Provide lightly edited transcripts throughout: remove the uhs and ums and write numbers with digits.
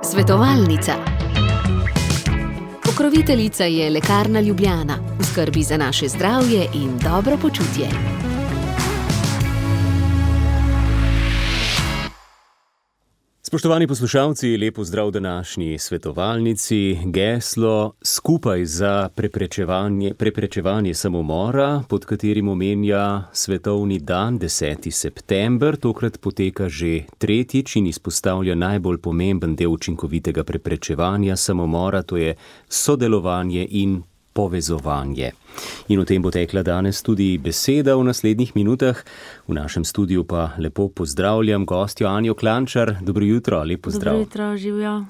Svetovalnica. Pokroviteljica je Lekarna Ljubljana, v skrbi za naše zdravje in dobro počutje. Spoštovani poslušalci, lep pozdrav današnji svetovalnici. Geslo Skupaj za preprečevanje samomora, pod katerim omenja svetovni dan 10. september, tokrat poteka že tretjič in izpostavlja najbolj pomemben del učinkovitega preprečevanja samomora, to je sodelovanje in povezovanje. In o tem bo tekla danes tudi beseda v naslednjih minutah. V našem studiu pa lepo pozdravljam gostjo Anjo Klančar. Dobro jutro, lep pozdrav. Dobro jutro, živjo.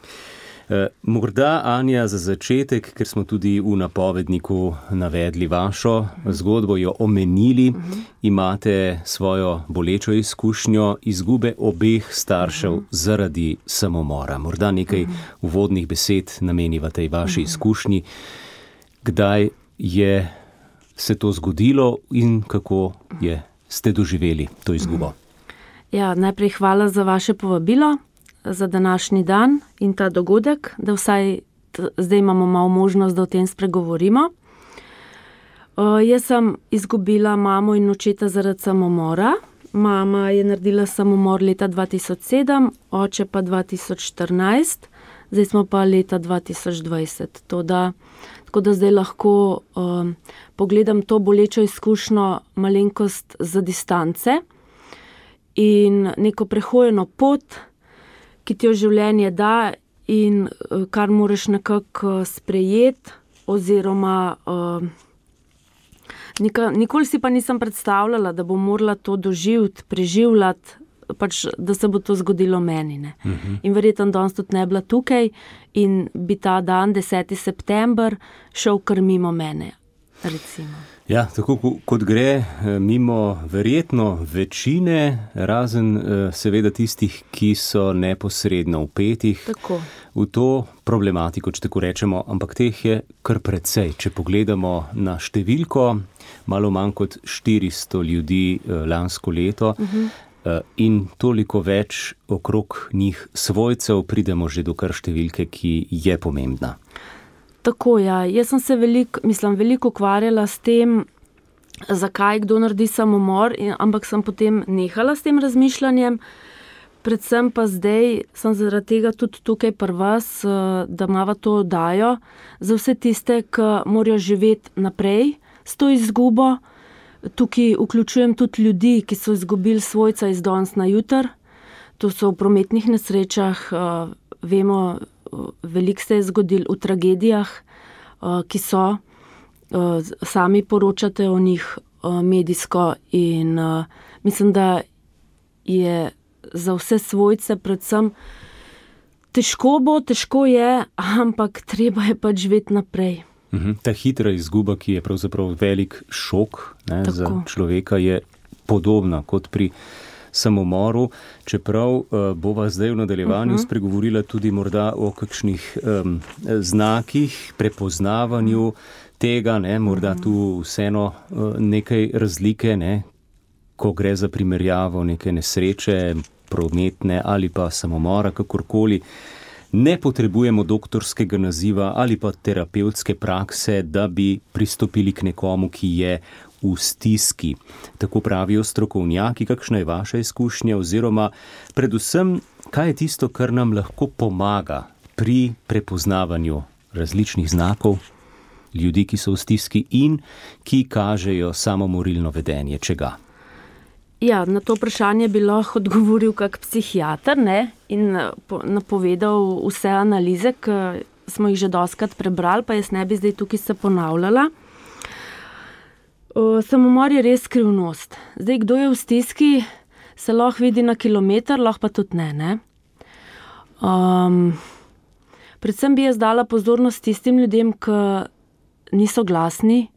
Morda, Anja, za začetek, ker smo tudi v napovedniku navedli vašo zgodbo, jo omenili, imate svojo bolečo izkušnjo izgube obeh staršev zaradi samomora. Morda nekaj uvodnih besed nameniva tej vaši izkušnji. Kdaj je se to zgodilo in kako ste doživeli to izgubo? Ja, najprej hvala za vaše povabilo, za današnji dan in ta dogodek, da vsaj zdaj imamo malo možnost, da o tem spregovorimo. Jaz sem izgubila mamo in očeta zaradi samomora. Mama je naredila samomor leta 2007, oče pa 2014, zdaj smo pa leta 2020. Tako da zdaj lahko pogledam to bolečo izkušnjo malenkost za distance in neko prehojeno pot, ki ti jo življenje da in kar moraš nekako sprejeti, oziroma nikoli si pa nisem predstavljala, da bom morala to doživeti, preživljati, pač, da se bo to zgodilo meni. Ne. In verjetno danes tudi ne bila tukaj in bi ta dan, 10. september, šel kar mimo mene, recimo. Ja, tako kot gre mimo verjetno večine, razen seveda tistih, ki so neposredno vpetih v to problematiko, če tako rečemo, ampak teh je kar precej. Če pogledamo na številko, malo manj kot 400 ljudi lansko leto, in toliko več okrog njih svojcev, pridemo že do kar številke, ki je pomembna. Tako, ja. Jaz sem se veliko ukvarjala s tem, zakaj kdo naredi samomor, ampak sem potem nehala s tem razmišljanjem. Predvsem pa zdaj sem zaradi tega tudi tukaj pri vas, da imava to oddajo za vse tiste, ki morajo živeti naprej s to izgubo. Tukaj vključujem tudi ljudi, ki so izgubili svojca iz danes na jutri. To so v prometnih nesrečah, vemo, veliko se je zgodilo v tragedijah, ki so, sami poročate o njih medijsko in mislim, da je za vse svojce predvsem težko je, ampak treba je pač živeti naprej. Ta hitra izguba, ki je pravzaprav velik šok za človeka, je podobna kot pri samomoru, čeprav bova zdaj v nadaljevanju spregovorila tudi morda o kakšnih znakih, prepoznavanju tega, morda tu vseeno nekaj razlike, ko gre za primerjavo neke nesreče, prometne ali pa samomora, kakorkoli. Ne potrebujemo doktorskega naziva ali pa terapevtske prakse, da bi pristopili k nekomu, ki je v stiski. Tako pravijo strokovnjaki. Kakšna je vaša izkušnja oziroma predvsem, kaj je tisto, kar nam lahko pomaga pri prepoznavanju različnih znakov ljudi, ki so v stiski in ki kažejo samomorilno vedenje, čega? Ja, na to vprašanje bi lahko odgovoril kak psihiater, in napovedal vse analize, ki smo jih že dostikrat prebrali, pa jaz ne bi zdaj tukaj se ponavljala. Samomor je res skrivnost. Zdaj, kdo je v stiski, se lahko vidi na kilometer, lahko pa tudi ne. Predvsem bi jaz dala pozornost tistim ljudem, ki niso glasni,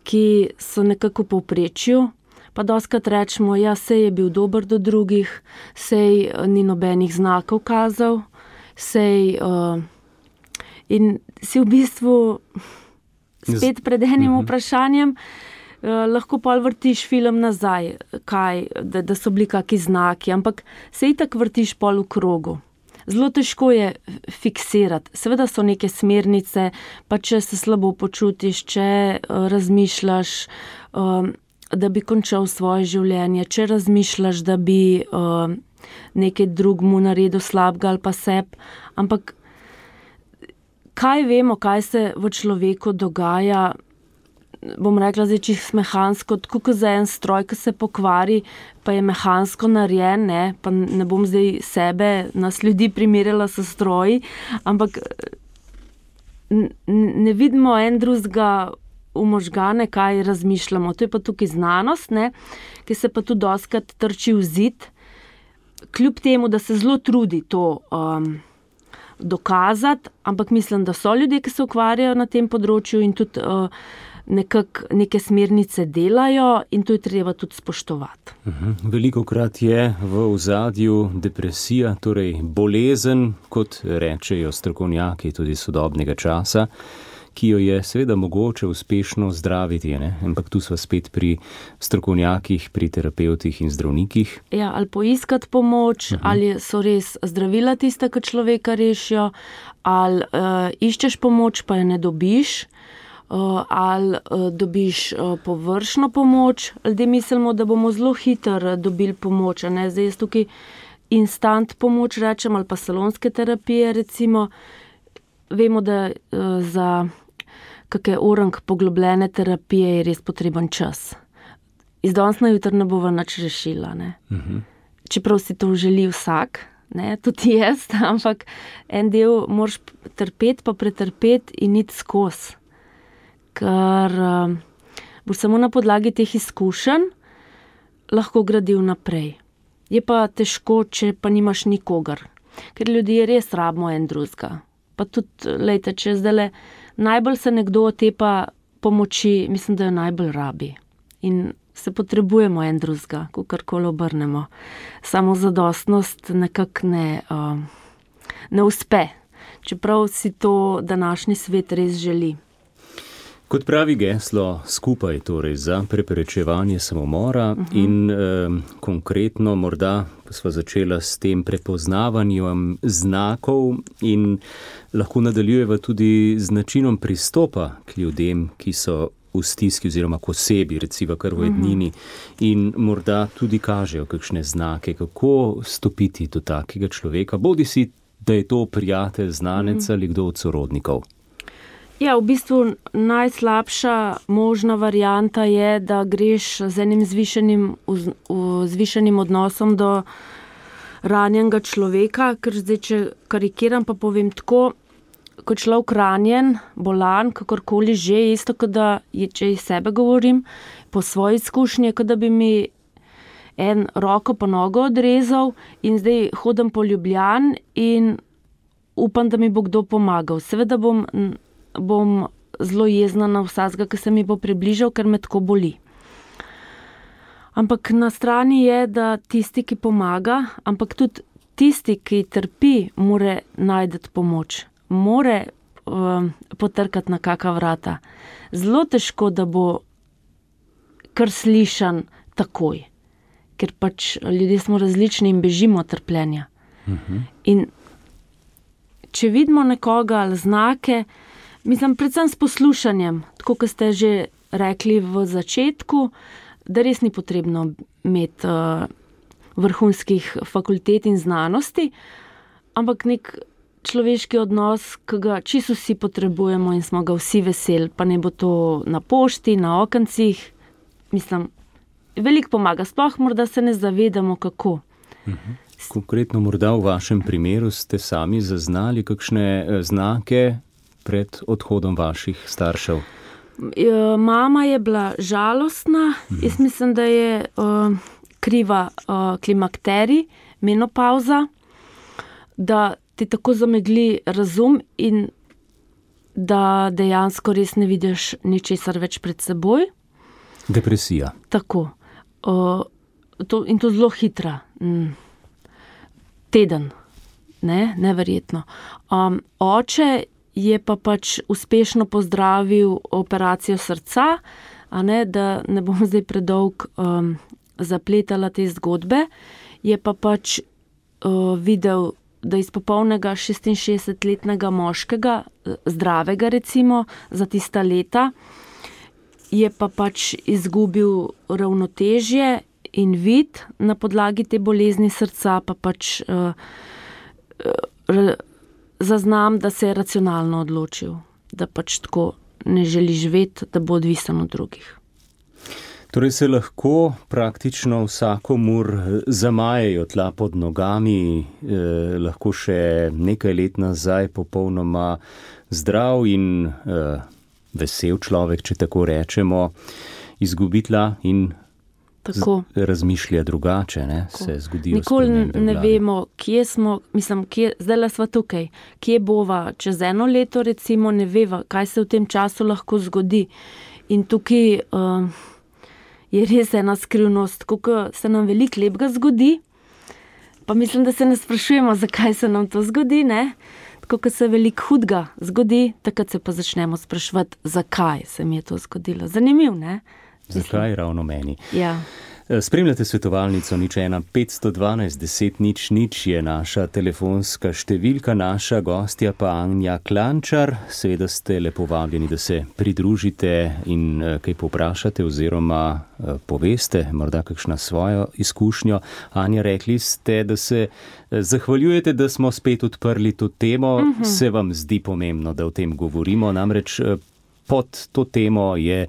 ki so nekako v povprečju, pa dostikrat rečemo, ja, sej je bil dober do drugih, sej ni nobenih znakov kazal, sej in si v bistvu spet pred enim vprašanjem, lahko pol vrtiš film nazaj, da so bili kaki znaki, ampak se itak vrtiš pol v krogu. Zelo težko je fiksirati. Seveda so neke smernice, pa če se slabo počutiš, če razmišljaš, da bi končal svoje življenje, če razmišljaš, da bi nekaj drugmu naredil slabega ali pa seb, ampak kaj vemo, kaj se v človeku dogaja, bom rekla zdaj čisto mehansko, tako kot za en stroj, ki se pokvari, pa je mehansko narejen, ne? Pa ne bom zdaj sebe, nas ljudi primerjala s stroji, ampak ne vidimo en drugega v možgane, kaj razmišljamo. To je pa tukaj znanost, ne? Ki se pa tudi dostikrat trči v zid, kljub temu, da se zelo trudi to dokazati, ampak mislim, da so ljudje, ki se ukvarjajo na tem področju in tudi neke smernice delajo in to je treba tudi spoštovati. Velikokrat je v ozadju depresija, torej bolezen, kot rečejo strokovnjaki tudi sodobnega časa, ki jo je seveda mogoče uspešno zdraviti, ne? Ampak tu sva spet pri strokovnjakih, pri terapevtih in zdravnikih. Ja, ali poiskati pomoč, ali so res zdravila tista, ki človeka rešijo, ali iščeš pomoč, pa je ne dobiš, ali dobiš površno pomoč. Ljudje mislimo, da bomo zelo hitro dobili pomoč, ne? Zdaj jaz tukaj instant pomoč rečem, ali pa salonske terapije recimo. Vemo, da za kakšne orang poglobljene terapije je res potreben čas. Iz danes na jutri ne bova nič rešila, ne. Čeprav si to želi vsak, ne, tudi jaz, ampak en del moraš trpeti pa pretrpeti in iti skozi. Ker boš samo na podlagi teh izkušenj lahko gradil naprej. Je pa težko, če pa nimaš nikogar. Ker ljudje res rabimo en drugega. Pa tudi, lejte, če zdajle najbolj se nekdo otepa pomoči, mislim, da jo najbolj rabi. In se potrebujemo en drugega, kakorkoli obrnemo. Samozadostnost nekako ne uspe, čeprav si to današnji svet res želi. Kot pravi geslo skupaj torej za preprečevanje samomora in konkretno morda sva začela s tem prepoznavanjem znakov in lahko nadaljujeva tudi z načinom pristopa k ljudem, ki so v stiski oziroma k osebi, recimo kar v ednini in morda tudi kažejo kakšne znake, kako stopiti do takega človeka, bodi si, da je to prijatelj, znanec ali kdo od sorodnikov. Ja, v bistvu najslabša možna varianta je, da greš z enim zvišenim odnosom do ranjenega človeka, ker zdaj, če karikiram, pa povem tako, ko človek ranjen, bolan, kakorkoli že, isto, kot da, če iz sebe govorim, po svoji izkušnji, kot da bi mi en roko pa nogo odrezal in zdaj hodim po Ljubljani in upam, da mi bo kdo pomagal. Seveda bom zelo jezna na vsakega, ki se mi bo približal, ker me tako boli. Ampak na strani je, da tisti, ki pomaga, ampak tudi tisti, ki trpi, more najti pomoč. More potrkati na kaka vrata. Zelo težko, da bo kar slišan takoj. Ker pač ljudje smo različni in bežimo od trpljenja. In če vidimo nekoga ali znake, mislim, predvsem s poslušanjem, tako kot ste že rekli v začetku, da res ni potrebno imeti vrhunskih fakultet in znanosti, ampak nek človeški odnos, ki ga čisto vsi potrebujemo in smo ga vsi veseli, pa ne bo to na pošti, na okencih. Mislim, veliko pomaga, sploh morda se ne zavedamo, kako. Konkretno morda v vašem primeru ste sami zaznali kakšne znake pred odhodom vaših staršev? Mama je bila žalostna, jaz mislim, da je kriva klimakterij, menopauza, da ti tako zamegli razum in da dejansko res ne vidiš ničesar več pred seboj. Depresija. Tako. In to zelo hitra. Teden. Neverjetno. Oče je pa pač uspešno pozdravil operacijo srca, da ne bom zdaj predolg zapletala te zgodbe, je pa pač videl, da iz popolnega 66-letnega moškega, zdravega recimo, za tista leta, je pa pač izgubil ravnotežje in vid na podlagi te bolezni srca, pa pač zaznam, da se je racionalno odločil, da pač tako ne želi živeti, da bo odvisen od drugih. Torej se lahko praktično vsakomur zamajejo tla pod nogami, lahko še nekaj let nazaj popolnoma zdrav in vesel človek, če tako rečemo, izgubi tla in razmišlja drugače, ne? Se zgodijo spremembe v glavi. Nikoli ne vemo, kje smo, zdaj sva tukaj, kje bova čez 1 leto, recimo, ne veva, kaj se v tem času lahko zgodi. In tukaj je res ena skrivnost, kako se nam veliko lepega zgodi, pa mislim, da se ne sprašujemo, zakaj se nam to zgodi, ne? Tako, ko se veliko hudega zgodi, takrat se pa začnemo spraševati, zakaj se mi je to zgodilo. Zanimiv, ne? Zakaj ravno meni? Ja. Spremljate svetovalnico 01 512 10 00 je naša telefonska številka, naša gostja pa Anja Klančar. Seveda ste lepo vabljeni, da se pridružite in kaj povprašate oziroma poveste, morda kakšna svojo izkušnjo. Anja, rekli ste, da se zahvaljujete, da smo spet odprli to temo. Se vam zdi pomembno, da o tem govorimo, namreč pod to temo je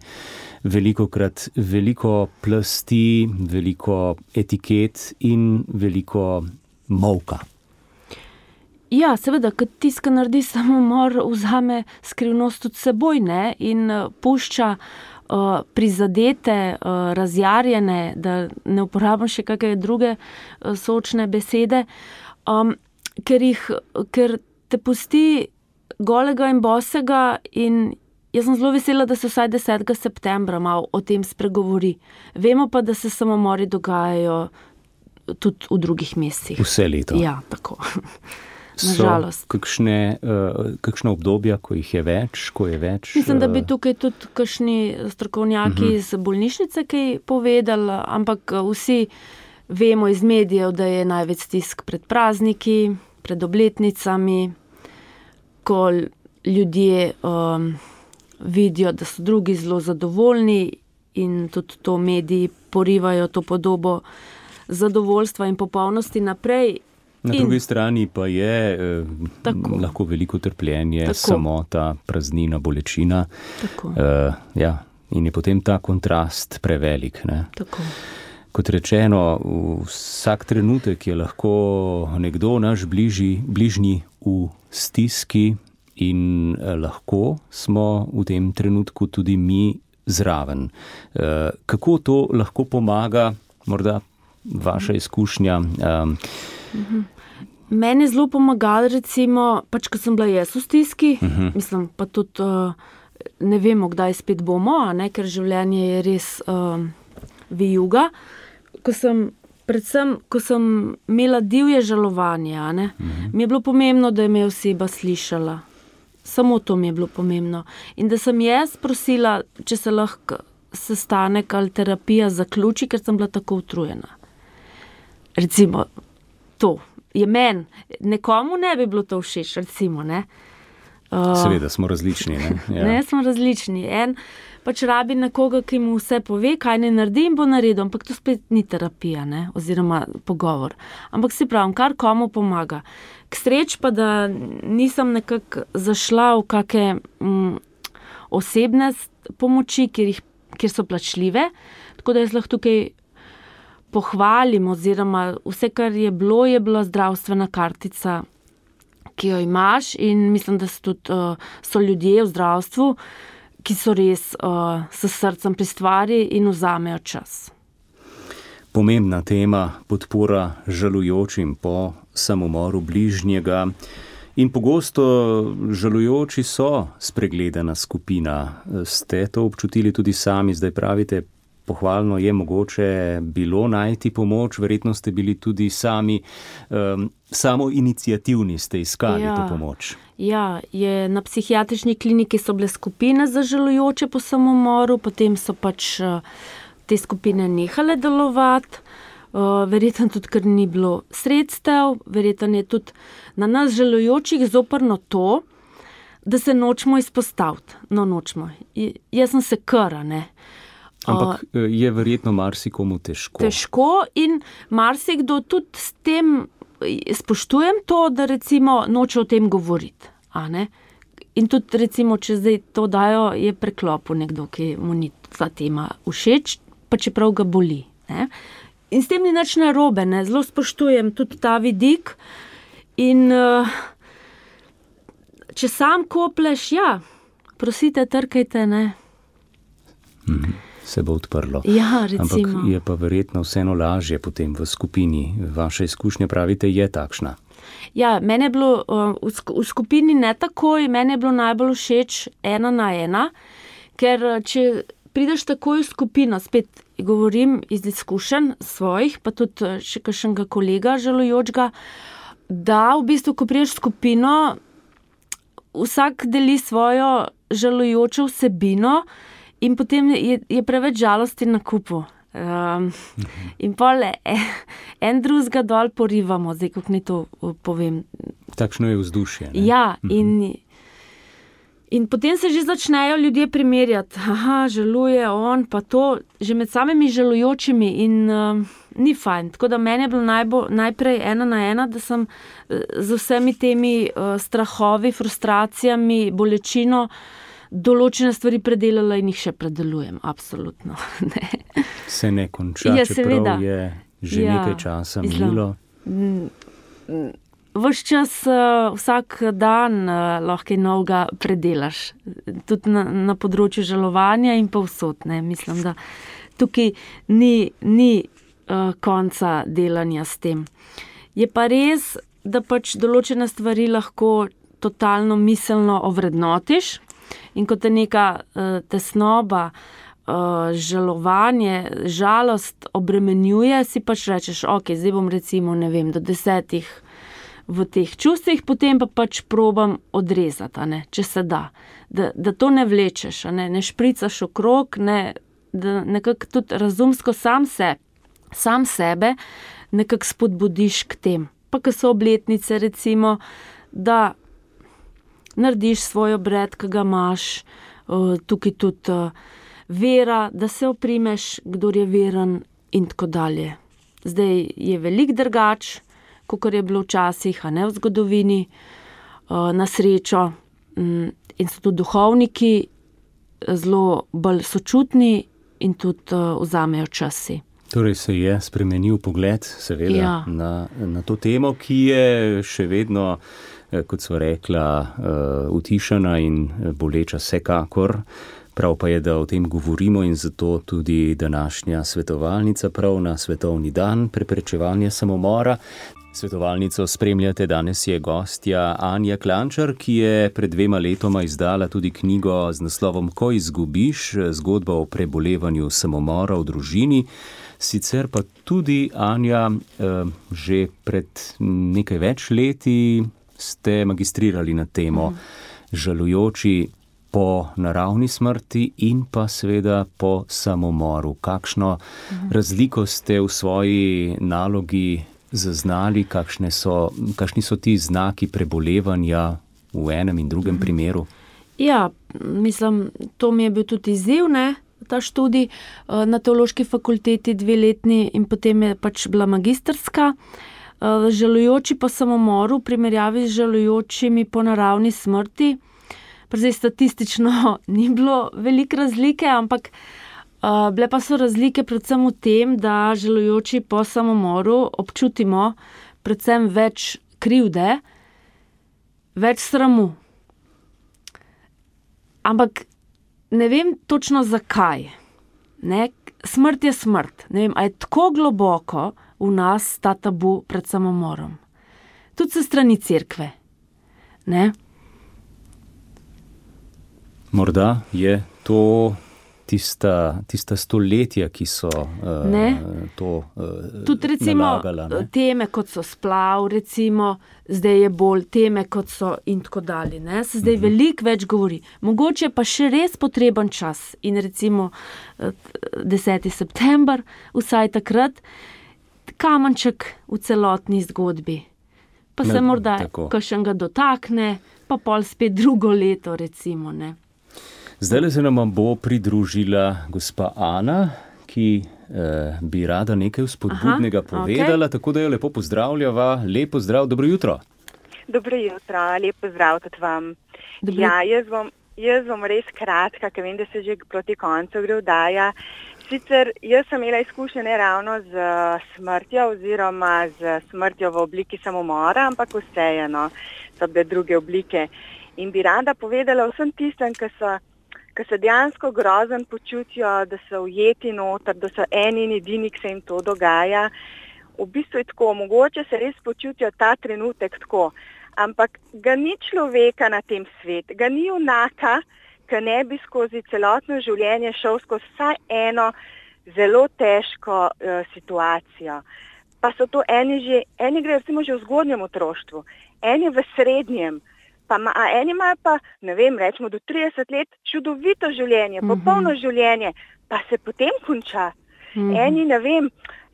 velikokrat veliko plasti, veliko etiket in veliko molka. Ja, seveda, kad tiska naredi samomor, vzame skrivnost od seboj, ne, in pušča prizadete, razjarjene, da ne uporabim še kakšne druge sočne besede, ker te pusti golega in bosega in jaz sem zelo vesela, da se vsaj 10. septembra malo o tem spregovori. Vemo pa, da se samomori dogajajo tudi v drugih mesecih. Vse leto. Ja, tako. Nažalost. So kakšna obdobja, ko jih je več, ko je več? Mislim, da bi tukaj tudi kakšni strokovnjaki iz bolnišnice kaj povedali, ampak vsi vemo iz medijev, da je največ stisk pred prazniki, pred obletnicami, ko ljudje vidijo, da so drugi zelo zadovoljni in tudi to mediji porivajo to podobo zadovoljstva in popolnosti naprej. Na drugi strani pa je lahko veliko trpljenje, samota, praznina, bolečina. In je potem ta kontrast prevelik. Ne? Tako. Kot rečeno, vsak trenutek je lahko nekdo naš bližnji v stiski, in lahko smo v tem trenutku tudi mi zraven. Kako to lahko pomaga, morda vaša izkušnja? Meni je zelo pomagalo, recimo, pač, ko sem bila jaz v stiski, mislim, pa tudi ne vemo, kdaj spet bomo, ne, ker življenje je res vijuga. Predvsem, ko sem imela divje žalovanje, ne, mi je bilo pomembno, da me je oseba slišala. Samo to mi je bilo pomembno. In da sem jaz prosila, če se lahko sestanek ali terapija zaključi, ker sem bila tako utrujena. Recimo, to je meni. Nekomu ne bi bilo to všeč, recimo, ne. Seveda, smo različni, ne? Ja. Ne, smo različni. En pač rabi nekoga, ki mu vse pove, kaj ne naredi in bo naredil, ampak to spet ni terapija, ne, oziroma pogovor. Ampak si pravim, kar komu pomaga. K sreč pa, da nisem nekako zašla v kakšne osebne pomoči, kjer so plačljive, tako da jaz lahko tukaj pohvalim, oziroma vse, kar je bila zdravstvena kartica, ki jo imaš, in mislim, da so ljudje v zdravstvu, ki so res s srcem pri stvari in vzamejo čas. Pomembna tema, podpora žalujočim po samomoru bližnjega. In pogosto žalujoči so spregledana skupina. Ste to občutili tudi sami, zdaj pravite, pohvalno je mogoče bilo najti pomoč, verjetno ste bili tudi sami, samo iniciativni ste iskali to pomoč. Ja, na psihiatrični kliniki so bile skupine za žalujoče po samomoru, potem so pač te skupine nehale delovati, verjetno tudi, ker ni bilo sredstev, verjetno je tudi na nas žalujočih zoprno to, da se nočemo izpostaviti. No, nočemo. Jaz sem se kara, ne. Ampak je verjetno marsikomu težko. Težko in marsikdo tudi s tem spoštujem to, da recimo noče o tem govoriti. A ne? In tudi recimo, če zdaj to dajo, je preklopil nekdo, ki mu ni ta tema všeč, pa čeprav ga boli. Ne? In s tem ni nič narobe, ne? Zelo spoštujem tudi ta vidik. In če sam kopleš, prosite, trkajte, ne. Se bo odprlo. Ja, recimo. Ampak je pa verjetno vseeno lažje potem v skupini. Vaša izkušnja, pravite, je takšna. Ja, meni je bilo v skupini ne takoj, meni je bilo najbolj všeč 1 na 1, ker če prideš takoj v skupino, spet govorim iz izkušenj svojih, pa tudi še kakšnega kolega žalujočega, da v bistvu, ko prideš v skupino, vsak deli svojo žalujočo vsebino in potem je preveč žalosti na kupu. In pol en drugega dol porivamo, zdaj, kako ni to povem. Takšno je vzdušje, ne? Ja, in potem se že začnejo ljudje primerjati. Aha, žaluje on, pa to, že med samimi žalujočimi in ni fajn. Tako da meni je bilo najprej 1 na 1, da sem z vsemi temi strahovi, frustracijami, bolečino določene stvari predelala in jih še predelujem, absolutno. Ne. Se ne konča, čeprav je že nekaj časa minilo. Ves čas, vsak dan lahko novega predelaš. Tudi na področju žalovanja in povsod, ne. Mislim, da tukaj ni konca delanja s tem. Je pa res, da pač določene stvari lahko totalno miselno ovrednotiš. In ko te neka tesnoba, žalovanje, žalost obremenjuje, si pač rečeš, ok, zdaj bom recimo, ne vem, do 10 v teh čustvih, potem pa pač probam odrezati, ne, če se da. Da to ne vlečeš, ne špricaš okrog, da nekako tudi razumsko sam sebe nekako spodbudiš k tem. Pa ko so obletnice recimo, da narediš svoj obred, ki ga imaš, tukaj tudi vera, da se oprimeš, kdor je veren in tako dalje. Zdaj je veliko drugač, kakor je bilo včasih, a ne v zgodovini, na srečo. In so tudi duhovniki zelo bolj sočutni in tudi vzamejo časi. Torej se je spremenil pogled, seveda, na to temo, ki je še vedno, kot sva rekla, utišana in boleča vsekakor. Prav pa je, da o tem govorimo in zato tudi današnja svetovalnica prav na Svetovni dan preprečevanja samomora. Svetovalnico spremljate, danes je gostja Anja Klančar, ki je pred 2 letoma izdala tudi knjigo z naslovom Ko izgubiš, zgodba o prebolevanju samomora v družini. Sicer pa tudi, Anja, že pred nekaj več leti ste magistrirali na temo žalujoči po naravni smrti in pa seveda po samomoru. Kakšno razliko ste v svoji nalogi zaznali, kakšni so ti znaki prebolevanja v enem in drugem primeru? Ja, mislim, to mi je bil tudi izziv, ne? Ta študij na teološki fakulteti 2-letni in potem je pač bila magistrska. Žalujoči po samomoru v primerjavi z žalujočimi po naravni smrti. Zdaj statistično ni bilo veliko razlike, ampak bile pa so razlike predvsem v tem, da žalujoči po samomoru občutimo predvsem več krivde, več sramu. Ampak ne vem točno zakaj. Ne? Smrt je smrt. Ne vem, a je tako globoko v nas ta tabu pred samomorom. Tudi se strani cerkve. Ne? Morda je to tista stoletja, ki so to tudi recimo nalagala. Ne? Teme, kot so splav, recimo, zdaj je bolj teme, kot so in tako dalje. Ne? Se zdaj veliko več govori. Mogoče pa še res potreben čas in recimo 10. september, vsaj takrat, kamenček v celotni zgodbi. Pa se morda kakšnega dotakne, pa pol spet drugo leto, recimo, ne. Zdaj se nam bo pridružila gospa Ana, ki bi rada nekaj vzpodbudnega povedala, tako da jo lepo pozdravljava. Lep pozdrav, dobro jutro. Dobro jutro, lep pozdrav tudi vam. Ja, jaz bom res kratka, ker vem, da se že proti koncu gre vdaja. Sicer jaz sem imela izkušnje ne ravno z smrtjo oziroma z smrtjo v obliki samomora, ampak vseeno so bile druge oblike. In bi rada povedala vsem tistem, ki se dejansko grozen počutijo, da so ujeti noter, da so eni in edini, ki se jim to dogaja. V bistvu je tako, mogoče se res počutijo ta trenutek tako, ampak ga ni človeka na tem svetu, ga ni junaka, ki ne bi skozi celotno življenje šel skozi vsaj eno zelo težko situacijo. Pa so to eni gre recimo že v zgodnjem otroštvu, eni v srednjem, eni imajo pa, ne vem, rečemo do 30 let čudovito življenje, popolno življenje, pa se potem konča. Eni, ne vem,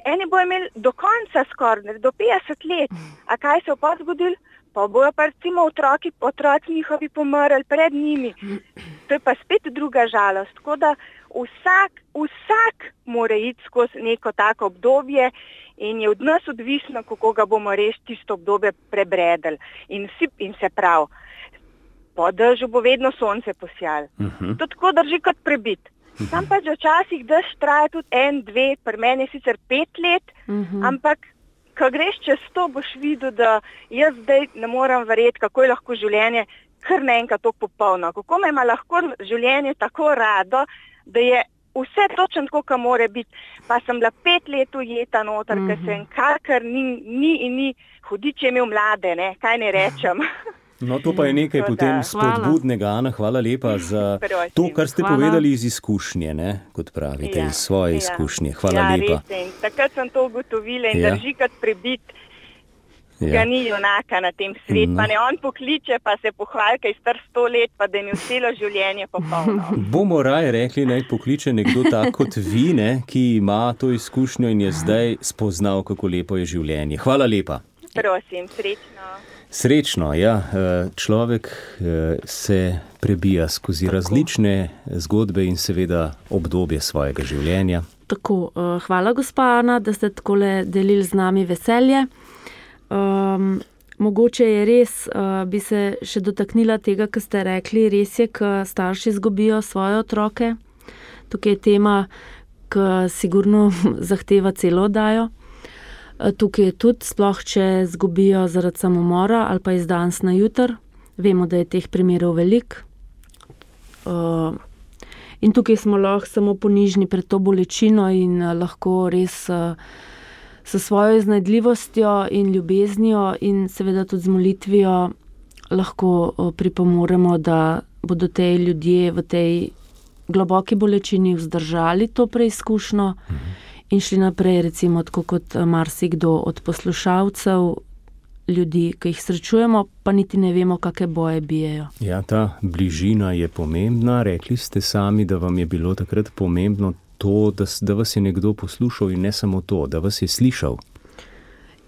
eni bojo imeli do konca skoraj, do 50 let. A kaj se bo zgodilo? Pa bojo pa recimo otroci njihovi pomrli pred njimi. To je pa spet druga žalost. Tako da vsak mora iti skozi neko tako obdobje in je od nas odvisno, kako ga bomo res tisto obdobje prebredali. In se pravi, po dežju bo vedno sonce posijalo. To tako drži kot prebit. Sam pa že včasih dež traja tudi 1, 2, pri meni je sicer 5 let, ampak ko greš čez to, boš videl, da jaz zdaj ne moram verjeti, kako je lahko življenje kar naenkrat tako popolno. Kako me ima lahko življenje tako rado, da je vse točno tako, kot mora biti. Pa sem bila 5 let ujeta noter, ker sem kar ni, hudič je imel mlade, ne, kaj ne rečem. No, to pa je nekaj potem spodbudnega, Ana, hvala lepa za to, kar ste povedali iz izkušnje, ne, kot pravite, iz svoje izkušnje. Hvala lepa. Res, takrat sem to ugotovila in drži kot prebit, ga ni junaka na tem svetu, pa ne on pokliče, pa se pohvali, kaj je star 100 let, pa da je imel celo življenje popolno. Bomo raje rekli, naj pokliče nekdo tak kot vi, ne, ki ima to izkušnjo in je zdaj spoznal, kako lepo je življenje. Hvala lepa. Prosim, srečno. Srečno, ja. Človek se prebija skozi različne zgodbe in seveda obdobje svojega življenja. Tako, hvala gospa Ana, da ste takole delili z nami veselje. Mogoče je res, bi se še dotaknila tega, kar ste rekli, res je, ko starši izgubijo svoje otroke. Tukaj je tema, ki sigurno zahteva celo oddajo. Tukaj je tudi, sploh če izgubijo zaradi samomora ali pa iz danes na jutr. Vemo, da je teh primerov veliko. In tukaj smo lahko samo ponižni pred to bolečino in lahko res s svojo iznajdljivostjo in ljubeznijo in seveda tudi z molitvijo lahko pripomoremo, da bodo te ljudje v tej globoki bolečini vzdržali to preizkušnjo in šli naprej, recimo, tako kot marsikdo od poslušalcev, ljudi, ki jih srečujemo, pa niti ne vemo, kakšne boje bijejo. Ja, ta bližina je pomembna. Rekli ste sami, da vam je bilo takrat pomembno to, da vas je nekdo poslušal in ne samo to, da vas je slišal.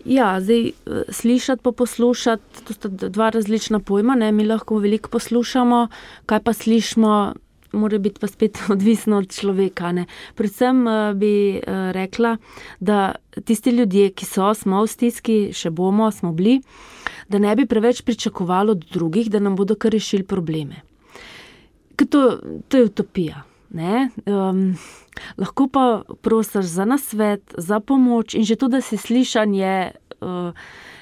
Ja, zdaj slišati pa poslušati, to sta dva različna pojma, ne, mi lahko veliko poslušamo, kaj pa slišimo, mora biti pa spet odvisno od človeka, ne. Predvsem bi rekla, da tisti ljudje, ki smo v stiski, še bomo, smo bili, da ne bi preveč pričakovali od drugih, da nam bodo kar rešili probleme. Ker to je utopija, ne. Lahko pa prosiš za nasvet, za pomoč in že to, da si slišan je,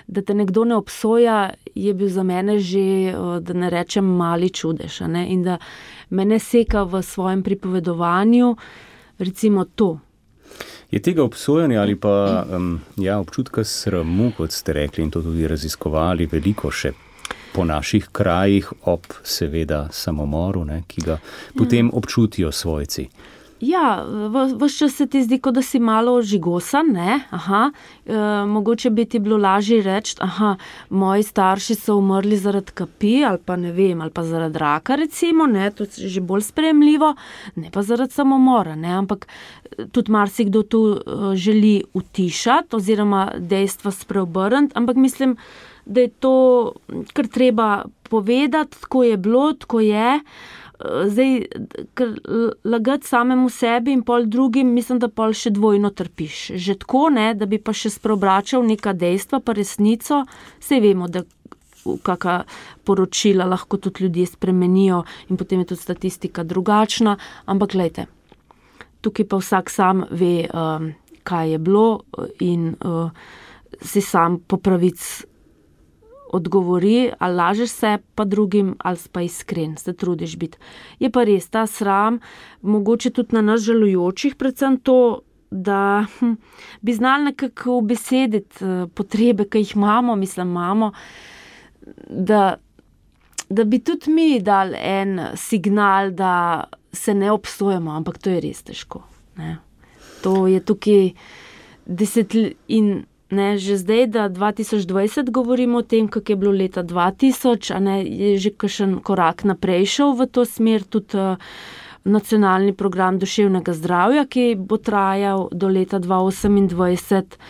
da te nekdo ne obsoja, je bil za mene že, da ne rečem, mali čudež, ne? In da mene seka v svojem pripovedovanju, recimo to. Je tega obsojanja ali pa občutka sramu, kot ste rekli in to tudi raziskovali, veliko še? po naših krajih ob seveda samomoru, ne, ki ga potem občutijo svojci. Ja, ves čas se ti zdi, kot da si malo žigosan, ne? Mogoče bi ti bilo lažje reči, moji starši so umrli zaradi kapi ali pa ne vem, ali pa zaradi raka recimo, ne, to je že bolj sprejemljivo, ne pa zaradi samomora, ne, ampak tudi marsikdo tu želi utišati oziroma dejstva spreobrniti, ampak mislim, da je to kar treba povedati, tako je bilo, tako je. Zdaj, ker lagati samemu sebi in pol drugim, mislim, da pol še dvojno trpiš. Že tako, ne, da bi pa še spreobračal neka dejstva, pa resnico, saj vemo, da kakšna poročila lahko tudi ljudje spremenijo in potem je tudi statistika drugačna, ampak glejte, tukaj pa vsak sam ve, kaj je bilo in si sam po pravici odgovori, ali lažeš se pa drugim, ali pa iskren, se trudiš biti. Je pa res ta sram, mogoče tudi na nas žalujočih, predvsem to, da bi znali nekako ubesediti potrebe, ki jih imamo, da bi tudi mi dali en signal, da se ne obsojamo, ampak to je res težko. Ne? To je tukaj in ne, že zdaj, da 2020 govorimo o tem, kako je bilo leta 2000, a ne, je že kakšen korak naprej šel v to smer, tudi nacionalni program duševnega zdravja, ki bo trajal do leta 2028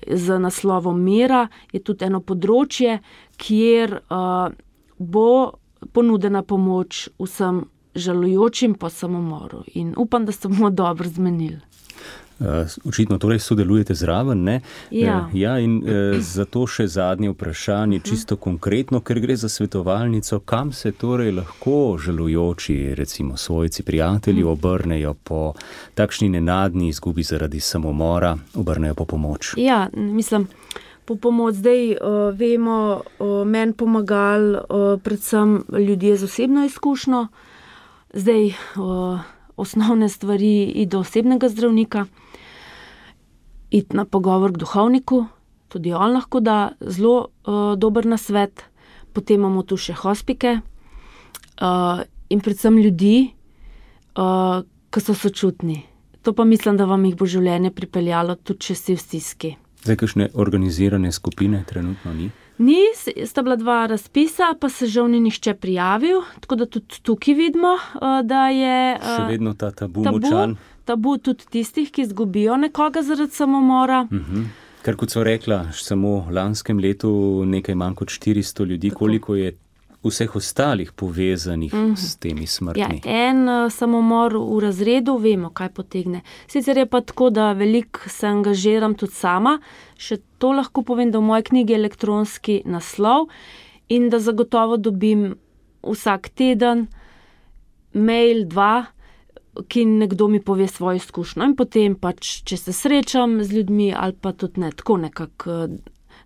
z naslovom Mera, je tudi eno področje, kjer bo ponudena pomoč vsem žalujočim po samomoru. In upam, da se bomo dobro zmenili. Očitno torej sodelujete zraven, ne? Ja, in zato še zadnje vprašanje, čisto konkretno, ker gre za svetovalnico, kam se torej lahko žalujoči, recimo svojci, prijatelji, obrnejo po takšni nenadni izgubi zaradi samomora, obrnejo po pomoč? Ja, mislim, po pomoč zdaj vemo, meni pomagali predvsem ljudje z osebno izkušnjo, zdaj osnovne stvari iti do osebnega zdravnika, iti na pogovor k duhovniku, tudi on lahko da zelo dober nasvet, potem imamo tu še hospike in predvsem ljudi, ki so sočutni. To pa mislim, da vam jih bo življenje pripeljalo, tudi če si v stiski. Zdaj, kakšne organizirane skupine trenutno ni? Ni, sta bila 2 razpisa, pa se žal ni nihče prijavil, tako da tudi tukaj vidimo, da je še vedno ta tabu močan. Tabu tudi tistih, ki izgubijo nekoga zaradi samomora. Ker kot so rekla, samo v lanskem letu nekaj manj kot 400 ljudi, tako. Koliko je vseh ostalih povezanih s temi smrtmi? Ja, en samomor v razredu, vemo, kaj potegne. Sicer je pa tako, da veliko se angažiram tudi sama, še to lahko povem, da v moji knjigi je elektronski naslov in da zagotovo dobim vsak teden mail 2, ki nekdo mi pove svojo izkušnjo in potem pač, če se srečam z ljudmi ali pa tudi ne, tako nekako,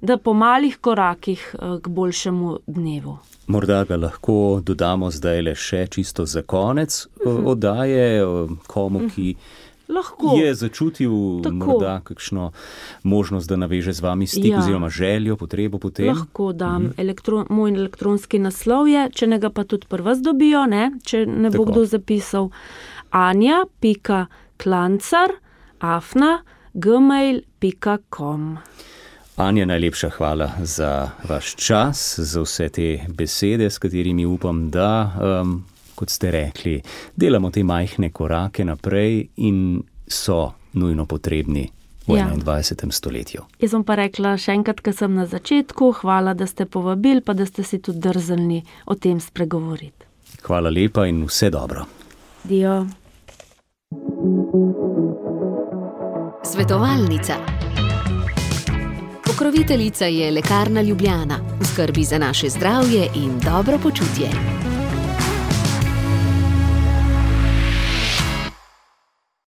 da po malih korakih k boljšemu dnevu. Morda ga lahko dodamo zdaj le še čisto za konec oddaje komu, ki je začutil morda kakšno možnost, da naveže z vami stik oziroma željo, potrebo potem. Lahko dam. Moj elektronski naslov je, če ne ga pa tudi pri vas dobijo, ne? Če ne bo kdo zapisal, anja.klancar@gmail.com. Anja, najlepša hvala za vaš čas, za vse te besede, s katerimi upam, da, kot ste rekli, delamo te majhne korake naprej in so nujno potrebni v 21. stoletju. Jaz bom pa rekla še enkrat, ker sem na začetku, hvala, da ste povabili, pa da ste si tudi drznili o tem spregovoriti. Hvala lepa in vse dobro. Dio. Svetovalnica. Pokroviteljica je Lekarna Ljubljana, v skrbi za naše zdravje in dobro počutje.